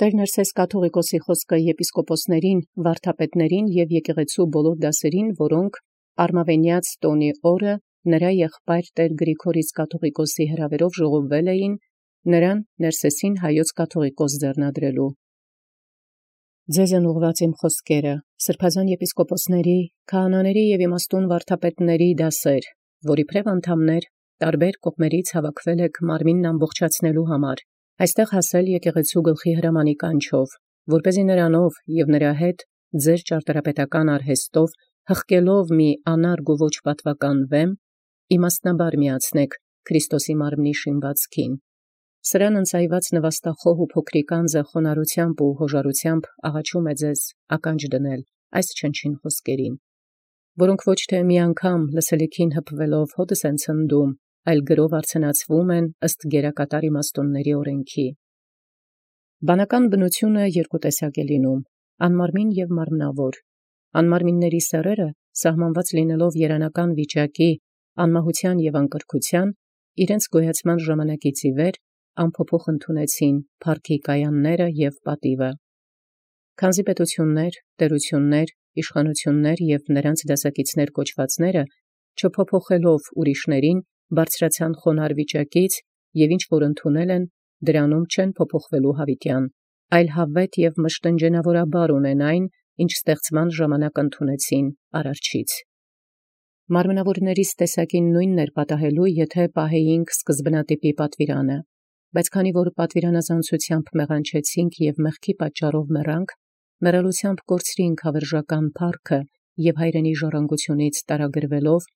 Տեր Ներսես կաթողիկոսի խոսքը եպիսկոպոսներին, վարդապետներին և եկեղեցու բոլոր դասերին, որոնք արմավենեաց տոնի օրը նրա եղբայր Տեր Գրիգորից կաթողիկոսի հրավերով ժողովվել էին, նրան Ներսեսին հայոց կաթողիկոս ձեռնադրելու։ Ձեզն ուղղված իմ խոսքերը, սրբազան եպիսկոպոսների, քահանաների և իմաստուն վարդապետների դասեր, որի փրև անդամներ տարբեր կողմերից հավաքվել եք մարմինն ամբողջացնելու համար, այստեղ հասել եկեղեցու գլխի հրամանի կանչով, որպեսզի նրանով և նրա հետ ձեր ճարտարապետական արհեստով հղկելով մի անարգ ու ոչ պատվական վեմ, իմաստնաբար միացնեք Քրիստոսի մարմնի շինվածքին։ Սրան ընծայված նվաստախոհ ու փոքրիկ անձը խոնարհությամբ ու հոժարությամբ աղաչում է ձեզ ականջ դնել այս չնչին խոսքերին, որոնք ոչ թե մի անգամ լսելիքին հպվելով հոտս են ցնդում, այլ գրով արձանացվում են ըստ գերակատար իմաստունների օրենքի։ Բանական բնությունը երկու տեսակ է լինում՝ անմարմին և մարմնավոր։ Անմարմինների սեռերը, սահմանված լինելով երանական վիճակի, անմահության և անկրքության, իրենց գոյացման ժամանակից ի վեր անփոփոխ ընդունեցին փառքի կայանները և պատիվը։ Քանզի պետություններ, տերություններ, իշխանություններ և նրանց դասակիցներ կոչվածները, չփոփոխելով ուրիշներին, բարձրացան խոնարհ վիճակից և ինչ որ ընդունել են, դրանում չեն փոփոխվելու հավիտյան, այլ հավետ և մշտնջենավորաբար ունեն այն, ինչ ստեղծման ժամանակ ընդունեցին Արարչից։ Մարմնավորներից տեսակին նույնն էր պատահելու, եթե պահեինք սկզբնատիպի պատվիրանը, բայց քանի որ պատվիրանազանցությամբ մեղանչեցինք և մեղքի պատճառով մեռանք, մեռելությամբ կորցրինք հավերժական փառքը և հայրենի ժառանգությունից տարագրվելով,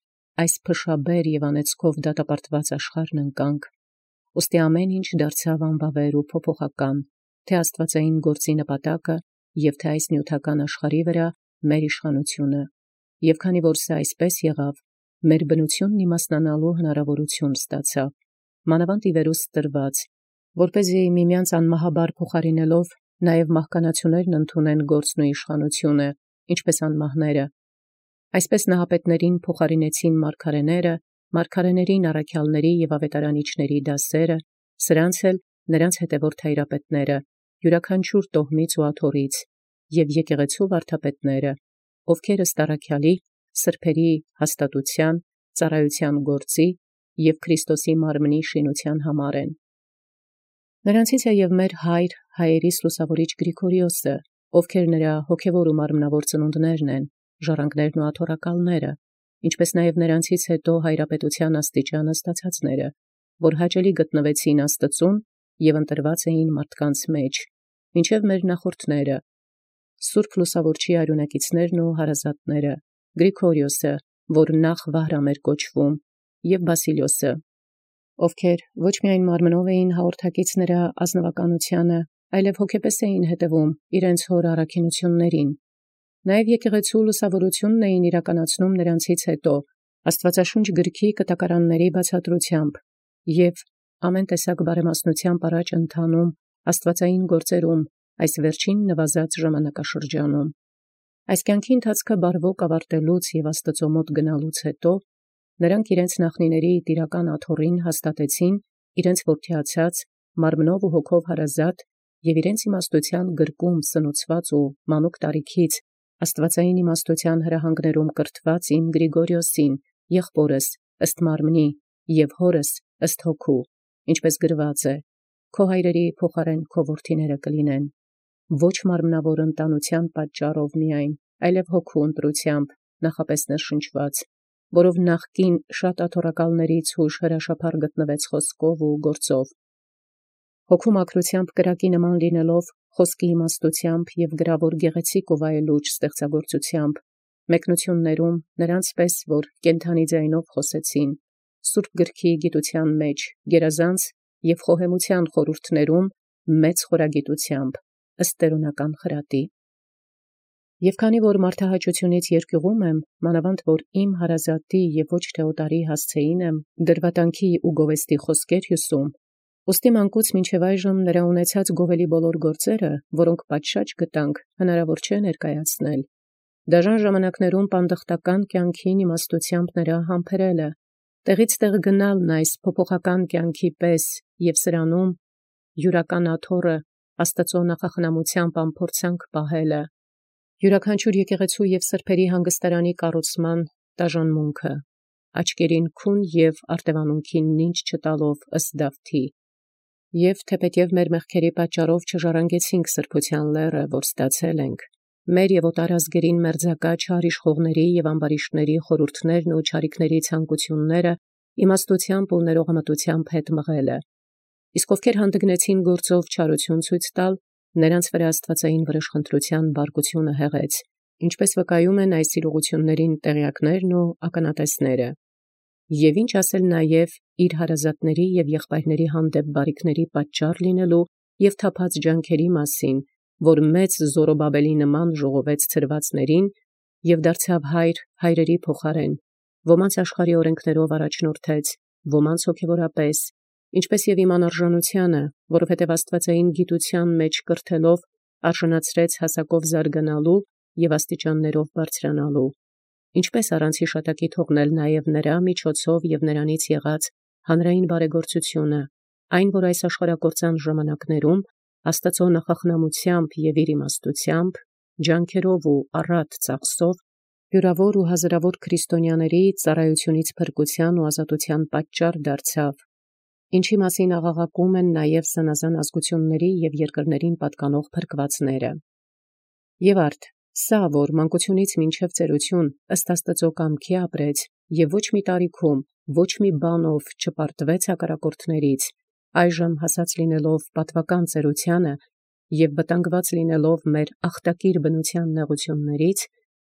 այս փշաբեր և անեծքով դատապարտված աշխարհն ընկանք, ուստի ամեն ինչ դարձավ անբավեր ու փոփոխական, թե աստվածային գործի նպատակը և թե այս նյութական աշխարհի վրա մեր իշխանությունը, և քանի որ սա այսպես եղավ, մեր բնությունն իմաստնանալու հնարավորություն ստացավ, մանավանդ ի վերուս տրված, որպեսզի միմյանց անմահաբար փոխարինելով, նաև մահկանացուներն ընդունեն գործն ու իշխանությունը, ինչպես անմահները։ Այսպես նահապետներին փոխարինեցին մարգարեները, մարգարեներին առաքյալների և ավետարանիչների դասերը, սրանց էլ նրանց հետևորդ հայրապետները, յուրաքանչյուր տոհմից ու աթոռից, և եկեղեցու վարդապետները, ովքեր ըստ առաքյալի, սրբերի հաստատության, ծառայության գործի և Քրիստոսի մարմնի շինության համար են։ Նրանցից է և մեր հայր, հայերիս լուսավորիչ Գրիգորիոսը, ովքեր նրա հոգևոր ու մարմնավոր ծնունդներն են, ժառանգներն ու աթոռակալները, ինչպես նաև նրանցից հետո հայրապետության աստիճանը ստացածները, որ հաճելի գտնվեցին Աստծուն և ընտրված էին մարդկանց մեջ, մինչև մեր նախորդները, Սուրբ Լուսավորչի արյունակիցներն ու հարազատները, Գրիգորիոսը, որ նախ Վահրամ էր կոչվում, և Բասիլիոսը, ովքեր ոչ միայն մարմնով էին հաղորդակից նրա ազնվականությանը, այլև հոգեպես էին հետևում իրենց հոր առաքինություններին, նաև եկեղեցու լուսավորությունն էին իրականացնում նրանցից հետո, Աստվածաշունչ գրքի կտակարանների բացատրությամբ և ամեն տեսակ բարեմասնությամբ առաջ ընթանում աստվածային գործերում այս վերջին նվազած ժամանակաշրջանում։ Այս կյանքի ընթացքը բարվոք ավարտելուց և Աստծո մոտ գնալուց հետո, նրանք իրենց նախնիների տիրական աթոռին հաստատեցին իրենց որդիացած, մարմնով ու հոգով հարազատ և իրենց իմաստության գրկում սնուցված ու մանուկ տարիքից աստվածային իմաստության հրահանգներում կրթված իմ Գրիգորիոսին, եղբորս ըստ մարմնի և հորս ըստ հոգու, ինչպես գրված է. «Քո հայրերի փոխարեն քո որդիները կլինեն, ոչ մարմնավոր ընտանության պատճառով միայն, այլև հոգու ընտրությամբ նախապես ներշնչված, որով նախկին շատ աթոռակալներից հուշ հրաշափառ գտնվեց խոսքով ու գործով, հոգու մաքրությամբ կրակի նման լինելով, խոսքի իմաստությամբ և գրավոր գեղեցիկ ու վայելուչ ստեղծագործությամբ, մեկնություններում նրանց պես, որ կենդանի ձայնով խոսեցին, Սուրբ գրքի գիտության մեջ, գերազանց և խոհեմության խորհուրդներում մեծ խորագիտությամբ, ըստ տերունական խրատի։ Եվ քանի որ մարդահաճությունից երկյուղում եմ, մանավանդ որ իմ հարազատի և ոչ թե օտարի հասցեին եմ դրվատանքի ու գովեստի խոսքեր հյուսում, ուստի մանկուց մինչև այժմ նրա ունեցած գովելի բոլոր գործերը, որոնք պատշաճ գտանք, հնարավոր չէ ներկայացնել։ Դաժան ժամանակներում պանդխտական կյանքին իմաստությամբ նրա համբերելը, տեղից տեղ գնալն այս փոփոխական կյանքի պես և սրանում յուրական աթոռը Աստծո նախախնամությամբ ամփորձանք պահելը, յուրաքանչյուր եկեղեցու և սրբերի հանգստարանի կառուցման տաժանմունքը, աչքերին քուն և արտևանունքին նինջ չտալով ըստ Դավթի, և թեպետև մեր մեղքերի պատճառով չժառանգեցինք սրբության լեռը, որ ստացել ենք, մեր և օտարազգերին մերձակա չար իշխողների և ամբարիշտների խորհուրդներն ու չարիքների ցանկությունները իմաստությամբ ու ներողամտությամբ հետ մղելը, իսկ ովքեր հանդգնեցին գործով չարություն ցույց տալ, նրանց վրա աստվածային վրեժխնդրության բարկությունը հեղեց, ինչպես վկայում են այս իրողություններին տեղյակներն ու ականատեսները, և ինչ ասել նաև իր հարազատների և եղբայրների հանդեպ բարիքների պատճառ լինելու և թափած ջանքերի մասին, որ մեծ Զորոբաբելի նման ժողովեց ցրվածներին և դարձավ հայր հայրերի փոխարեն, ոմանց աշխարհի օրենքներով առաջնորդեց, ոմանց հոգևորապես, ինչպես և իմ անարժանությանը, որովհետև աստվածային գիտության մեջ կրթելով արժանացրեց հասակով զարգանալու և աստիճաններով բարձրանալու, ինչպես առանց հիշատակի թողնել նաև նրա միջոցով և նրանից եղած հանրային բարեգործությունը, այն, որ այս աշխարհակործան ժամանակներում Աստծո նախախնամությամբ և իր իմաստությամբ, ջանքերով ու առատ ծախսով յուրավոր ու հազարավոր քրիստոնյաների ծառայությունից փրկության ու ազատության պատճառ դարձավ, ինչի մասին աղաղակում են նաև զանազան ազգությունների և երկրներին պատկանող փրկվածները։ Եվ արդ, սա, որ մանկությունից մինչև ծերություն ըստ Աստծո կամքի ապրեց և ոչ մի տարիքում, ոչ մի բանով չպարտվեց հակառակորդներից, այժմ հասած լինելով պատվական ծերությանը և վտանգված լինելով մեր ախտակիր բնության նեղություններից,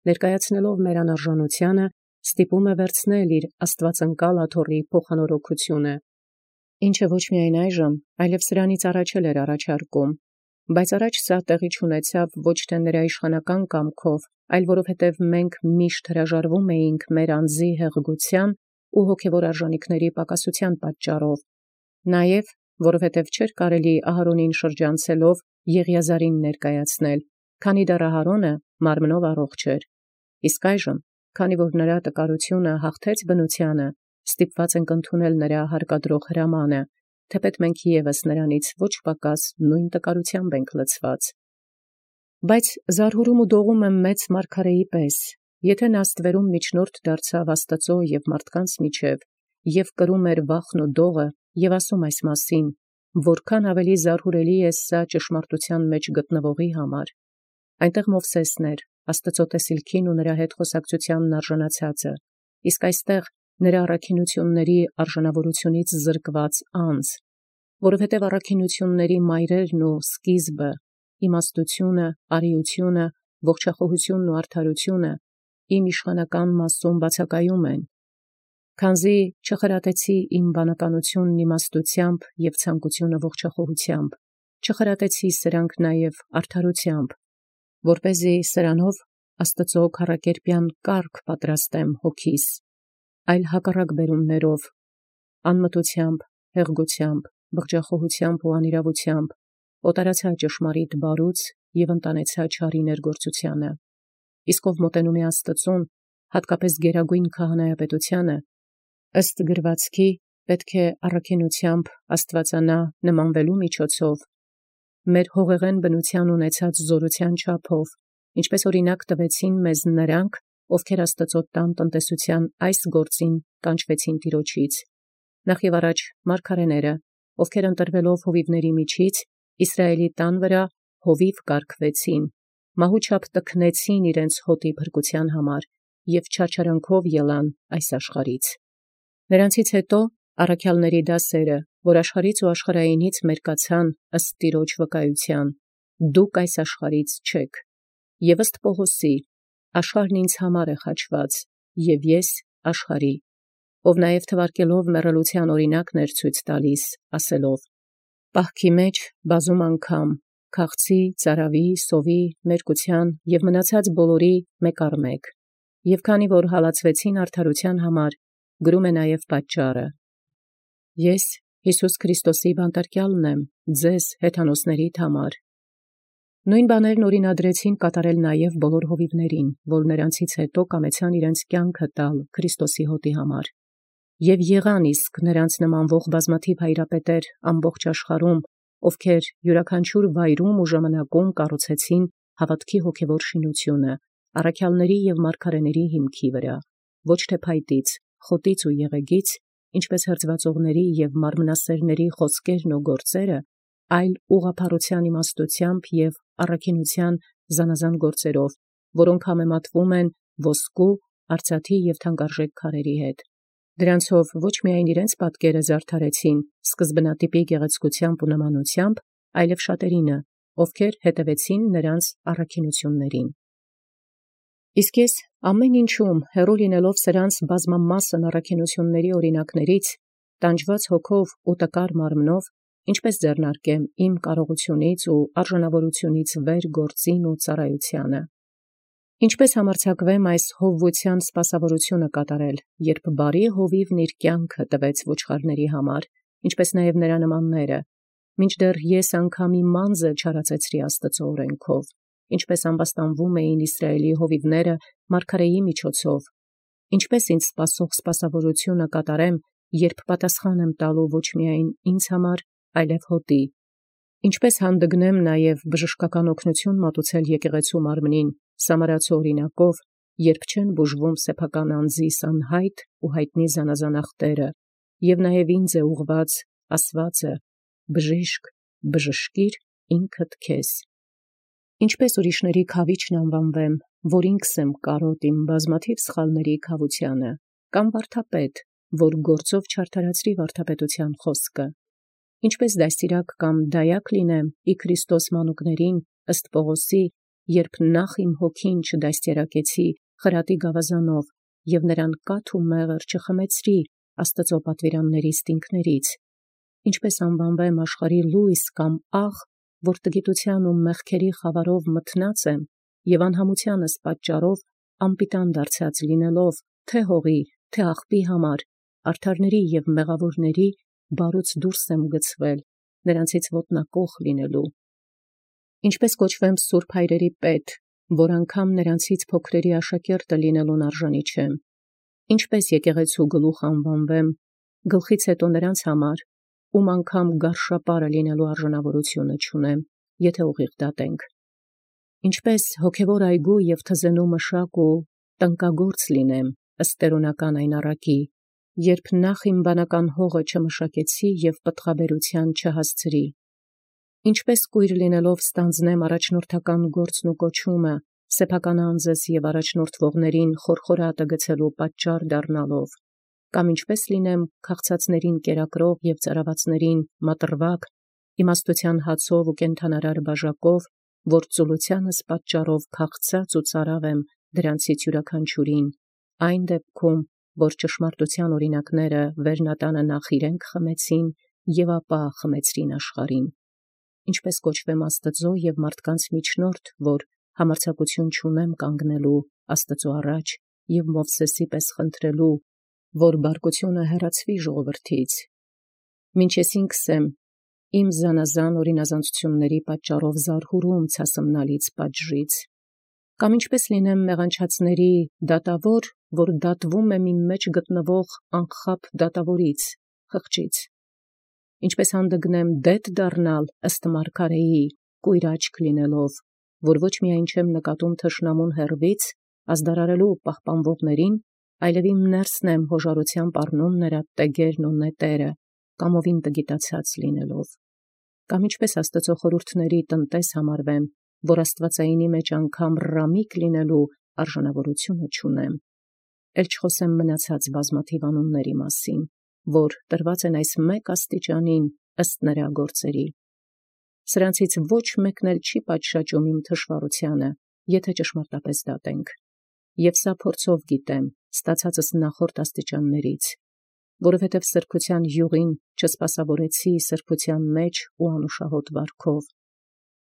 ներկայացնելով մեր անարժանությանը, ստիպում է վերցնել իր աստվածընկալ աթոռի փոխանորոգությունը, ինչը ոչ միայն այժմ, այլև սրանից առաջ էլ էր առաջարկում, բայց առաջ սա տեղի չունեցավ ոչ թե նրա իշխանական կամքով, այլ որովհետև մենք միշտ հրաժարվում էինք մեր անձի հեղգության ու հոգևոր արժանիքների պակասության պատճառով, նաև որովհետև չէր կարելի Ահարոնին շրջանցելով Եղիազարին ներկայացնել, քանի դեռ Ահարոնը մարմնով առողջ էր, իսկ այժմ, քանի որ նրա տկարությունը հաղթեց բնությանը, ստիպված ենք ընդունել նրա հարկադրող հրամանը, թեպետ մենք ևս նրանից ոչ պակաս նույն տկարությամբ ենք լցված։ Բայց զարհուրում ու դողում եմ մեծ մարգարեի պես, եթե նա ստվերում միջնորդ դարձավ Աստծո և մարդկանց միջև, և կրում էր վախն ու դողը, և ասում այս մասին, որքան ավելի զարհուրելի է սա ճշմարտության մեջ գտնվողի համար։ Այնտեղ Մովսեսն էր, Աստծո տեսիլքին ու նրա հետ խոսակցությանն արժանացածը, իսկ այստեղ նրա առաքինությունների արժանավորությունից զրկված անձ, որովհետև առաքինությունների մայրերն ու սկիզբը, իմաստությունը, արիությունը, ողջախոհությունն ու արդարությունը իմ իշխանական մասում բացակայում են, քանզի չխրատեցի իմ բանականությունն իմաստությամբ և ցանկությունը ողջախոհությամբ, չխրատեցի սրանք նաև արդարությամբ, որպեսզի սրանով Աստծո քառակերպյան կարգ պատրաստեմ հոգիս, այլ հակառակ բերումներով, անմտությամբ, հեղգությամբ, բղջախոհությամբ ու անիրավությամբ, օտարացա ճշմարիտ բարուց և ընտանեցա չարի ներգործությանը, իսկ ով մոտենում է Աստծուն, հատկապես գերագույն քահանայապետությանը, ըստ գրվածքի պետք է առաքինությամբ աստվածանա նմանվելու միջոցով, մեր հողեղեն բնության ունեցած զորության չափով, ինչպես օրինակ տվեցին մեզ նրանք, ովքեր Աստծո տան տնտեսության այս գործին կանչվեցին Տիրոջից, նախ և առաջ մարգարեները, ովքեր ընտրվելով հովիվների միջից Իսրայելի տան վրա հովիվ կարգվեցին, մահուչափ տքնեցին իրենց հոտի փրկության համար և չարչարանքով ելան այս աշխարհից։ Նրանցից հետո առաքյալների դասերը, որ աշխարհից ու աշխարհայինից մերկացան ըստ Տիրոջ վկայության, դուք այս աշխարհից չեք, և ըստ Պողոսի, աշխարհն ինձ համար է խաչված, և ես աշխարհի, ով նաև թվարկելով մեռելության օրինակներ ցույց տալիս, ասելով. պահքի մեջ բազում անգամ, քաղցի, ծարավի, սովի, մերկության և մնացած բոլորի մեկ առ մեկ, և քանի որ հալածվեցին արդարության համար, գրում է նաև պատճառը. Ես Հիսուս Քրիստոսի բանտարկյալն եմ ձեզ հեթանոսներիդ համար։ Նույն բաներն օրինադրեցին կատարել նաև բոլոր հովիվներին, որ նրանցից հետո կամեցան իրենց կյանքը տալ Քրիստոսի հոտի համար։ Եվ եղան իսկ նրանց նմանվող բազմաթիվ հայրապետեր ամբողջ աշխարհում, ովքեր յուրաքանչյուր վայրում ու ժամանակում կառուցեցին հավատքի հոգևոր շինությունը, առաքյալների և մարգարեների հիմքի վրա, ոչ թե փայտից, խոտից ու եղեգից, ինչպես հրձվածողների և մարմնասերների խոսքերն ու գործերը, այլ ուղղափառության իմաստությամբ և առաքինության զանազան գործերով, որոնք համեմատվում են ոսկու, արծաթի և թանկարժեք քարերի հետ։ Դրանցով ոչ միայն իրենց պատկերը զարդարեցին սկզբնատիպի գեղեցկությամբ ու նմանությամբ, այլև շատերինը, ովքեր հետևեցին նրանց առաքինություններին։ Իսկ ես ամեն ինչում հեռու լինելով սրանց բազմամասն առաքինությունների օրինակներից, տանջված հոգով ու տկար մարմնով, ինչպես ձեռնարկեմ իմ կարողությունից ու արժանավորությունից վեր գործին ու ծառայությանը, ինչպես համարձակվեմ այս հովվության սպասավորությունը կատարել, երբ բարի հովիվն իր կյանքը տվեց ոչխարների համար, ինչպես նաև նրա նմանները, մինչդեռ ես անգամ իմ անձը չարացեցրի Աստծո օրենքով, ինչպես ամբաստանվում էին Իսրայելի հովիվները մարգարեի միջոցով, ինչպես ինձ սպասող սպասավորությունը կատարեմ, երբ պատասխան եմ տալու ոչ միայն ինձ համար, այլև հոտի, ինչպես հանդգնեմ նաև բժշկական օգնություն մատուցել եկեղեցու մարմնին Սամարացու օրինակով, երբ չեն բուժվում սեփական անձիս անհայտ ու հայտնի զանազան ախտերը, և նաև ինձ է ուղված ասվածը. բժիշկ, բժշկիր ինքդ քեզ։ Ինչպես ուրիշների քավիչն անվանվեմ, որ ինքս եմ կարոտ իմ բազմաթիվ սխալների քավությանը, կամ վարդապետ, որ գործով չարդարացրի վարդապետության խոսքը, ինչպես դաստիարակ կամ դայակ լինեմ ի Քրիստոս մանուկներին ըստ Պողոսի, երբ նախ իմ հոգին չդաստիարակեցի խրատի գավազանով և նրան կաթ ու մեղր չխմեցրի Աստծո պատվիրանների ստինքներից, ինչպես անվանվեմ աշխարհի լույս կամ աղ, որ տգիտության ու մեղքերի խավարով մթնած եմ և անհամությանս պատճառով անպիտան դարձած լինելով թե հողի, թե աղբի համար, արդարների և մեղավորների բարուց դուրս եմ գցվել, նրանցից ոտնակոխ լինելու, ինչպես կոչվեմ սուրբ հայրերի պետ, որ անգամ նրանցից փոքրերի աշակերտը լինելուն արժանի չեմ, ինչպես եկեղեցու գլուխ անվանվեմ, գլխից հետո նրանց համար, ում անգամ գարշապարը լինելու արժանավորությունը չունեմ, եթե ուղիղ դատենք, ինչպես հոգևոր այգու և թզենու մշակ ու տնկագործ լինեմ ըստ տերունական այն առակի, երբ նախ իմ բանական հողը չմշակեցի և պտղաբերության չհասցրի, ինչպես կույր լինելով ստանձնեմ առաջնորդական գործն ու կոչումը, սեփական անձս և առաջնորդվողներին խորխորատը գցելու պատճառ դառնալով, կամ ինչպես լինեմ քաղցածներին կերակրող և ծարավացներին մատրվակ, իմաստության հացով ու կենդանարար բաժակով, որ ծուլությանս պատճառով քաղցած ու ծարավ եմ դրանցից յուրաքանչյուրին, այն դեպքում, որ ճշմարտության օրինակները վերնատանը նախ իրենք խմեցին և ապա խմեցրին աշխարհին, ինչպես կոչվեմ Աստծո և մարդկանց միջնորդ, որ համարձակություն չունեմ կանգնելու Աստծո առաջ և Մովսեսի պես խնդրելու, որ բարկությունը հեռացվի ժողովրդից, մինչ ես ինքս եմ իմ զանազան օրինազանցությունների պատճառով զարհուրում ցասմնալից պատժից, կամ ինչպես լինեմ մեղանչածների դատավոր, որ դատվում եմ իմ մեջ գտնվող անխաբբ դատավորից, խղճից, ինչպես հանդգնեմ դետ դառնալ ըստ մարգարեի, կույր աչք լինելով, որ ոչ միայն չեմ նկատում թշնամուն հեռվից, ազդարարելու պահպանվողներին, այլև իմ ներսն եմ հոժարությամբ առնում նրա տեգերն ու նետերը, կամովին տգիտացած լինելով, կամ ինչպես Աստծո խորհուրդների տնտես համարվեմ, որ աստվածայինի մեջ անգամ ռամիկ լինելու արժանավորությունը չունեմ, էլ չխոսեմ մնացած բազմաթիվ անունների մասին, որ տրված են այս մեկ աստիճանին ըստ նրա գործերի։ Սրանցից ոչ մեկն էլ չի պատշաճում իմ թշվառությանը, եթե ճշմարտապես դատենք, և սա փորձով գիտեմ, ստացածս նախորդ աստիճաններից, որովհետև սրբության յուղին չսպասավորեցի սրբության մեջ ու անուշահոտ վարքով,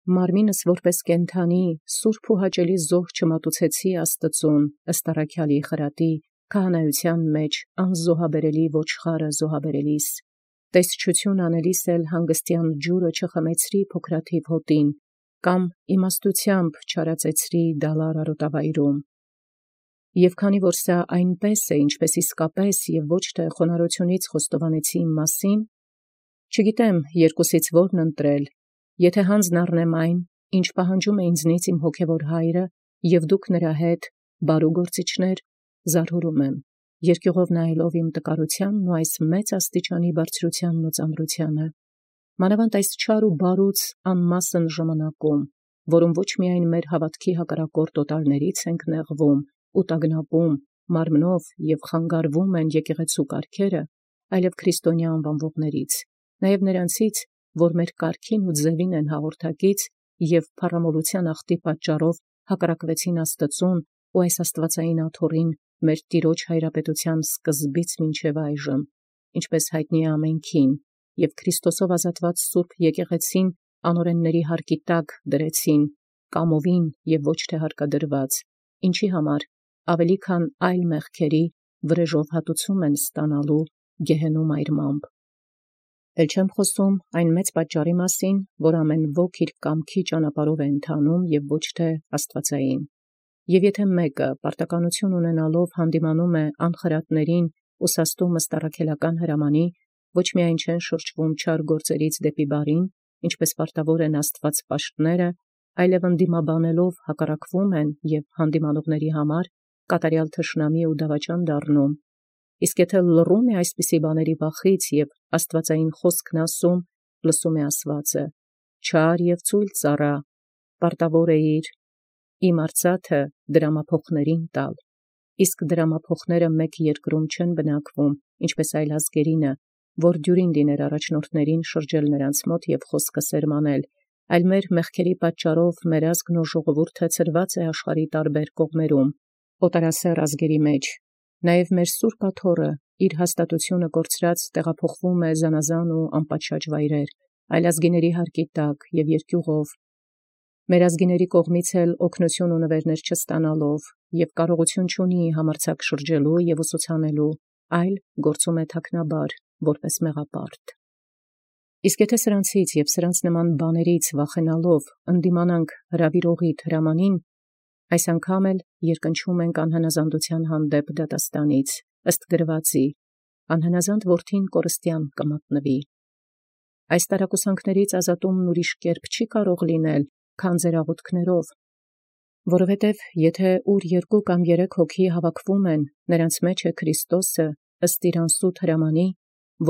մարմինս որպես կենդանի սուրբ ու հաճելի զոհ չմատուցեցի Աստծուն ըստ առաքյալի խրատի քահանայության մեջ անզոհաբերելի ոչխարը զոհաբերելիս, տեսչություն անելիս էլ հանգստյան ջուրը չխմեցրի փոքրաթիվ հոտին, կամ իմաստությամբ չարածեցրի դալար արոտավայրում։ Եվ քանի որ սա այնպես է, ինչպես իսկապես և ոչ թե խոնարհությունից խոստովանեցի իմ մասին, Չգիտեմ երկուսից որն ընտրել, եթե հանձն առնեմ այն, ինչ պահանջում է ինձնից իմ հոգևոր հայրը, և դուք նրա հետ, բարու գործիչներ, զարհուրում եմ, երկյուղով նայելով իմ տկարությանն ու այս մեծ աստիճանի բարձրությանն ու ծանրությանը, մանավանդ այս չար ու բարուց անմասն ժամանակում, որում ոչ միայն մեր հավատքի հակառակորդ օտարներից ենք նեղվում ու տագնապում, մարմնով և խանգարվում են եկեղեցու կարգերը, այլև քրիստոնյա անվանվողներից, նաև նրանցից, որ մեր կարգին ու ձևին են հաղորդակից և փառամոլության ախտի պատճառով հակառակվեցին Աստծուն ու այս աստվածային աթոռին մեր Տիրոջ հայրապետության սկզբից մինչև այժմ, ինչպես հայտնի է ամենքին, և Քրիստոսով ազատված սուրբ եկեղեցին անօրենների հարկի տակ դրեցին, կամովին և ոչ թե հարկադրված, ինչի համար ավելի քան այլ մեղքերի վրեժով հատուցում են ստանալու գեհենում այրմամբ։ Էլ չեմ խոսում այն մեծ պատճառի մասին, որ ամեն ոք իր կամքի ճանապարհով է ընթանում և ոչ թե աստվածային։ Եվ եթե մեկը պարտականություն ունենալով հանդիմանում է անխրատներին ու սաստում ըստառաքելական հրամանի, ոչ միայն չեն շրջվում չար գործերից դեպի բարին, ինչպես պարտավոր են Աստված պաշտները, այլև ընդդիմաբանելով հակառակվում են և հանդիմանողների համար կատարյալ թշնամի ու դավաճան դառնում։ Իսկ եթե լռում է այսպիսի բաների վախից և աստվածային խոսքն ասում, լսում է ասվածը. «Չար և ծույլ ծառա, պարտավոր էիր իմ արծաթը դրամափոխներին տալ», իսկ դրամափոխները մեկ երկրում չեն բնակվում, ինչպես այլ ազգերինը, որ դյուրին լիներ առաջնորդներին շրջել նրանց մոտ և խոսքը սերմանել, այլ մեր մեղքերի պատճառով մեր ազգն ու ժողովուրդը ցրված է աշխարհի տարբեր կողմերում, օտարասեռ ազգերի մեջ, նաև մեր սուրբ աթոռը իր հաստատությունը կորցրած տեղափոխվում է զանազան ու անպատշաճ վայրեր, այլ ազգիների հարկի տակ և երկյուղով, մեր ազգիների կողմից էլ օգնություն ու նվերներ չստանալով, և կարողություն չունի համարձակ շրջելու և ուսուցանելու, այլ գործում է թաքնաբար, որպես մեղապարտ։ Իսկ եթե սրանցից և սրանց նման բաներից վախենալով ընդդիմանանք հրավիրողիդ հրամանին, այս անգամ էլ երկնչում ենք անհնազանդության հանդեպ դատաստանից, ըստ գրվածի, անհնազանդ որդին կորստյան կմատնվի։ Այս տարակուսանքներից ազատումն ուրիշ կերպ չի կարող լինել, քան ձեր աղոթքներով, որովհետև եթե ուր երկու կամ երեք հոգի հավաքվում են, նրանց մեջ է Քրիստոսը, ըստ իր անսուտ հրամանի,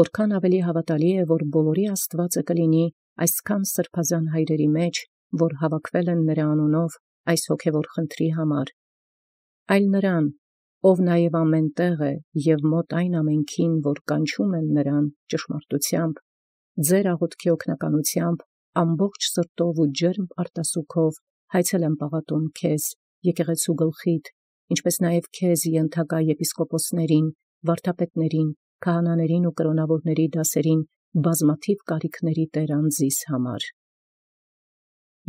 որքան ավելի հավատալի է, որ բոլորի Աստվածը կլինի այսքան սրբազան հայրերի մեջ, որ հավաքվել են նրա անունով այս հոգևոր խնդրի համար, այլ նրան, ով նաև ամեն տեղ է և մոտ այն ամենքին, որ կանչում են նրան ճշմարտությամբ, ձեր աղոթքի օգնականությամբ ամբողջ սրտով ու ջերմ արտասուքով հայցել եմ պաղատում քեզ, եկեղեցու գլխիդ, ինչպես նաև քեզ ենթակա եպիսկոպոսներին, վարդապետներին, քահանաներին ու կրոնավորների դասերին բազմաթիվ կարիքների տեր անձիս համար։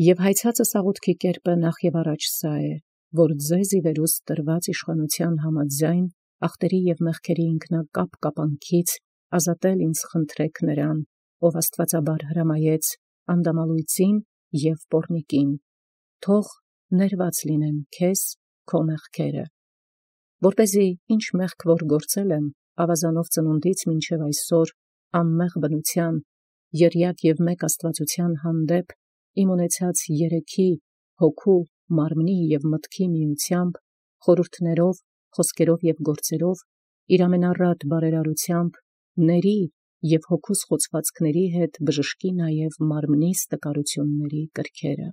Եվ հայցածս աղոթքի կերպը նախ և առաջ սա է, որ ձեզ ի վերուստ տրված իշխանության համաձայն ախտերի և մեղքերի ինքնակապ կապանքից ազատել ինձ խնդրեք նրան, ով աստվածաբար հրամայեց անդամալույծին և պոռնիկին, թող ներված լինեն քեզ քո մեղքերը, որպեսզի ինչ մեղք որ գործել եմ ավազանով ծնունդից մինչև այսօր անմեղ բնության, եռյակ և մեկ աստվածության հանդեպ իմ ունեցած երեքի, հոգու, մարմնի և մտքի միությամբ, խորհուրդներով, խոսքերով և գործերով, իր ամենառատ բարերարությամբ ների և հոգուս խոցվածքների հետ բժշկի նաև մարմնիս տկարությունների կրքերը։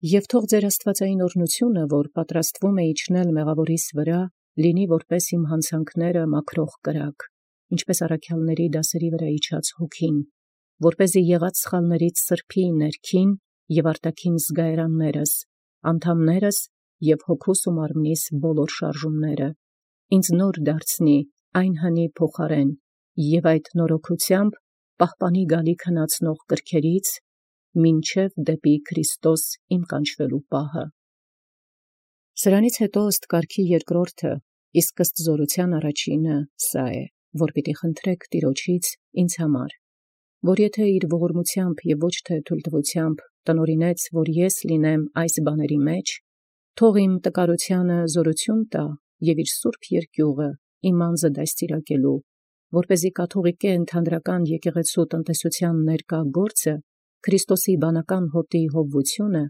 Եվ թող ձեր աստվածային օրհնությունը, որ պատրաստվում է իջնել մեղավորիս վրա, լինի որպես իմ հանցանքները մաքրող կրակ, ինչպես առաքյալների դասերի վրա իջած հոգին, որպեսզի եղած սխալներից սրբի ներքին և արտաքին զգայարաններս, անդամներս և հոգուս ու մարմնիս բոլոր շարժումները, ինձ նոր դարձնի այն հնի փոխարեն, և այդ նորոգությամբ պահպանի գալիք հնացնող կրքերից, մինչև դեպի Քրիստոս իմ կանչվելու պահը։ Սրանից հետո ըստ կարգի երկրորդը, իսկ ըստ զորության առաջինը սա է, որ պիտի խնդրեք Տիրոջից ինձ համար, որ եթե իր ողորմությամբ և ոչ թե թույլտվությամբ տնօրինեց, որ ես լինեմ այս բաների մեջ, թող իմ տկարությանը զորություն տա և իր սուրբ երկյուղը իմ անձը դաստիարակելու, որպեսզի կաթողիկե ընդհանրական եկեղեցու տնտեսության ներկա գործը, Քրիստոսի բանական հոտի հովվությունը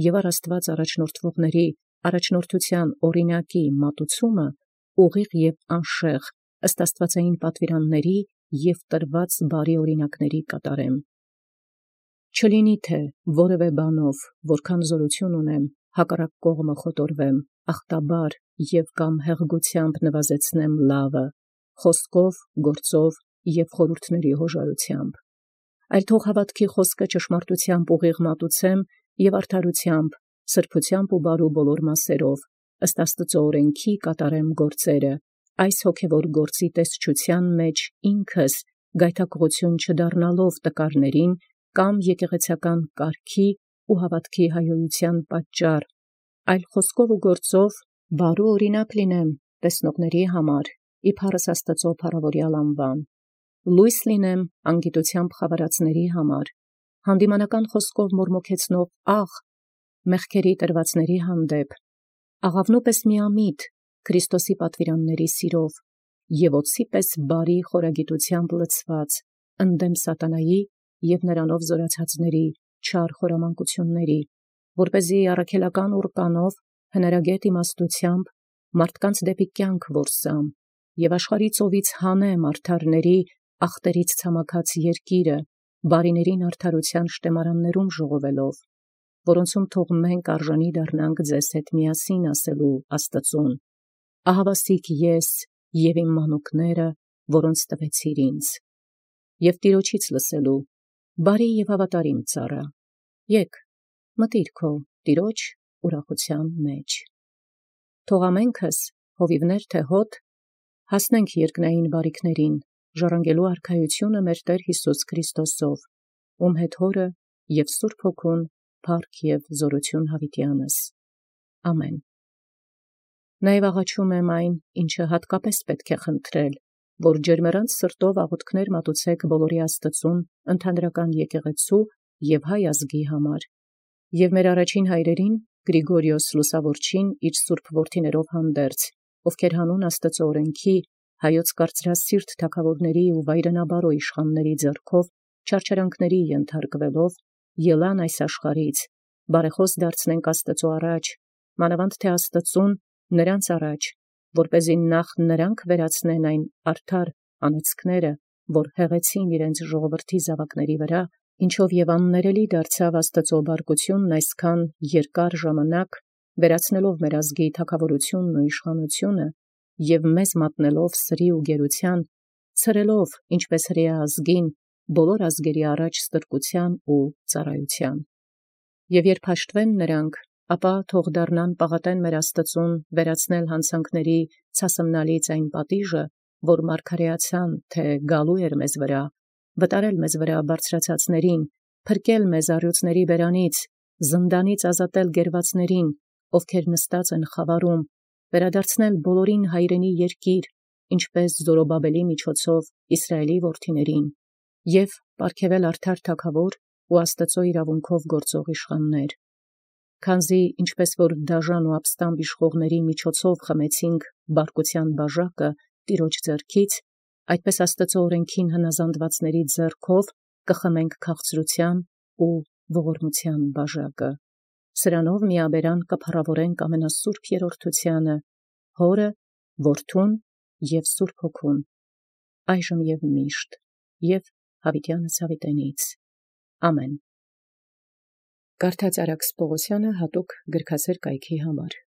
և առ Աստված առաջնորդվողների առաջնորդության օրինակի մատուցումը ուղիղ և անշեղ ըստ աստվածային պատվիրանների և տրված բարի օրինակների կատարեմ։ Չլինի թե որևէ բանով, որքան զորություն ունեմ, հակառակ կողմը խոտորվեմ, ախտաբար և կամ հեղգությամբ նվազեցնեմ լավը, խոսքով, գործով և խորհուրդների հոժարությամբ, այլ թող հավատքի խոսքը ճշմարտությամբ ուղիղ մատուցեմ և արդարությամբ, սրբությամբ ու բարու բոլոր մասերով, ըստ Աստծո օրենքի կատարեմ գործերը, այս հոգևոր գործի տեսչության մեջ ինքս գայթակղություն չդառնալով տկարներին կամ եկեղեցական կարգի ու հավատքի հայոյության պատճառ, այլ խոսքով ու գործով բարու օրինակ լինեմ տեսնողների համար, իբարս Աստծո փառաւորեալ անուան, լույս լինեմ անգիտությամբ խավարածների համար, հանդիմանական խոսքով մորմոքեցնող աղ մեղքերի տրվածների հանդեպ, աղավնու պես միամիտ Քրիստոսի պատվիրանների սիրով և օձի պես բարի խորագիտությամբ լցված ընդդեմ սատանայի և նրանով զորացածների չար խորամանկությունների, որպեսզի առաքելական ուռկանով հնարագետ իմաստությամբ մարդկանց դեպի կյանք որսամ և աշխարհի ծովից հանեմ արդարների ախտերից ցամաքած երկիրը, բարիներին արդարության շտեմարաններում ժողովելով, որոնցում թող մենք արժանի դառնանք ձեզ հետ միասին ասելու Աստծուն. ահավասիկ ես և իմ մանուկները, որոնց տվեցիր ինձ, և Տիրոջից լսելու բարի և հավատարիմ ծառա, եկ մտիր քո Տիրոջ ուրախության մեջ։ Թող ամենքս հովիվներ թե հոտ հասնենք երկնային բարիքներին, ժառանգելու արքայությունը մեր Տեր Յիսուս Քրիստոսով, ում հետ Հորը և Սուրբ Հոգուն փառք և զորություն յաւիտյանս։ Ամեն։ Նաև աղաչում եմ այն, ինչը հատկապես պետք է խնդրել, որ ջերմեռանց սրտով աղոթքներ մատուցեք բոլորի Աստծուն ընդհանրական եկեղեցու և հայ ազգի համար, և մեր առաջին հայրերին Գրիգորիոս Լուսավորչին իր սուրբ որդիներով հանդերձ, ովքեր հանուն Աստծո օրենքի հայոց կարծրասիրտ թագաւորների ու վայրենաբարո իշխանների ձեռքով չարչարանքների ենթարկվելով ելան այս աշխարհից, բարեխաւս դարձնենք Աստծո առաջ, մանավանդ թե Աստծուն նրանց առաջ, որպեսզի նախ նրանք վերացնեն այն արդար անեծքները, որ հեղեցին իրենց ժողովրդի զավակների վրա, ինչով եւ աններելի դարձավ Աստծո բարկությունն այսքան երկար ժամանակ, վերացնելով մեր ազգի թագաւորությունն ու իշխանությունը և մեզ մատնելով սրի ու գերության, ցրելով ինչպես հրեա ազգին բոլոր ազգերի առաջ ստրկության ու ծառայության։ Եվ երբ հաշտվեն նրանք, ապա թող դառնան պաղատեն մեր Աստծուն վերացնել հանցանքների ցասմնալից այն պատիժը, որ մարգարեացան, թե գալու էր մեզ վրա, վտարել մեզ վրա բարձրացածներին, փրկել մեզ առյուծների բերանից, զնդանից ազատել գերվածներին, ովքեր նստած են խավարում, վերադարձնել բոլորին հայրենի երկիր, ինչպես Զորոբաբելի միջոցով Իսրայելի որդիներին, և պարգևել արդար թագաւոր ու Աստծո իրավունքով գործող իշխաններ։ Քանզի ինչպես որ դաժան ու ապստամբ իշխողների միջոցով խմեցինք բարկության բաժակը Տիրոջ ձեռքից, այդպես Աստծո օրենքին հնազանդվածների ձեռքով կխմենք քաղցրության ու ողորմության բաժակը։ Սրանով միաբերան կփառաւորենք ամենասուրբ երրորդությանը, Հորը, Որդուն և Սուրբ Հոգուն, այժմ և միշտ, և յաւիտյանս յաւիտենից։ Ամեն։ Կարդաց Արաքս Պողոսյանը հատուկ գրքասեր կայքի համար։